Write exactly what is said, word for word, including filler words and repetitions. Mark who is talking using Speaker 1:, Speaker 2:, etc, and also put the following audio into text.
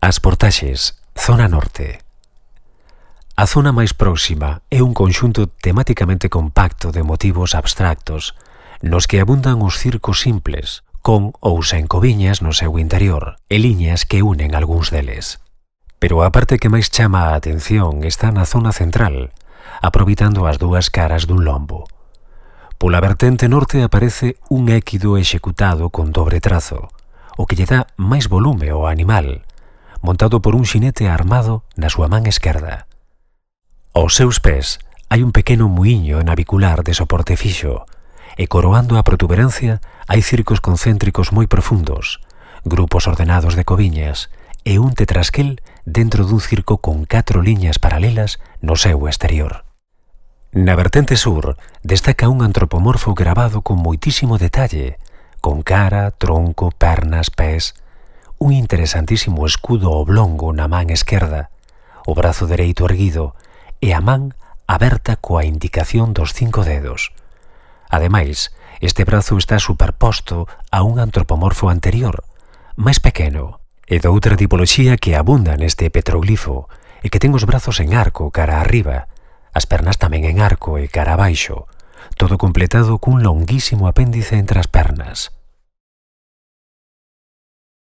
Speaker 1: As Portaxes, zona norte. A zona máis próxima é un conxunto temáticamente compacto de motivos abstractos nos que abundan os circos simples, con ou sen coviñas no seu interior e liñas que unen algúns deles. Pero a parte que máis chama a atención está na zona central, aproveitando as dúas caras dun lombo. Pola vertente norte aparece un équido executado con dobre trazo, o que lle dá máis volume ao animal, montado por un xinete armado na súa man esquerda. Aos seus pés hai un pequeno muiño navicular de soporte fixo, e coroando a protuberancia hai circos concéntricos moi profundos, grupos ordenados de coviñas e un tetrasquel dentro dun circo con catro liñas paralelas no seu exterior. Na vertente sur destaca un antropomorfo grabado con moitísimo detalle, con cara, tronco, pernas, pés, un interesantísimo escudo oblongo na man esquerda, o brazo dereito erguido e a man aberta coa indicación dos cinco dedos. Ademais, este brazo está superposto a un antropomorfo anterior, máis pequeno, e de outra tipoloxía que abunda neste petroglifo e que ten os brazos en arco cara arriba, as pernas tamén en arco e cara abaixo, todo completado cun longuísimo apéndice entre as pernas.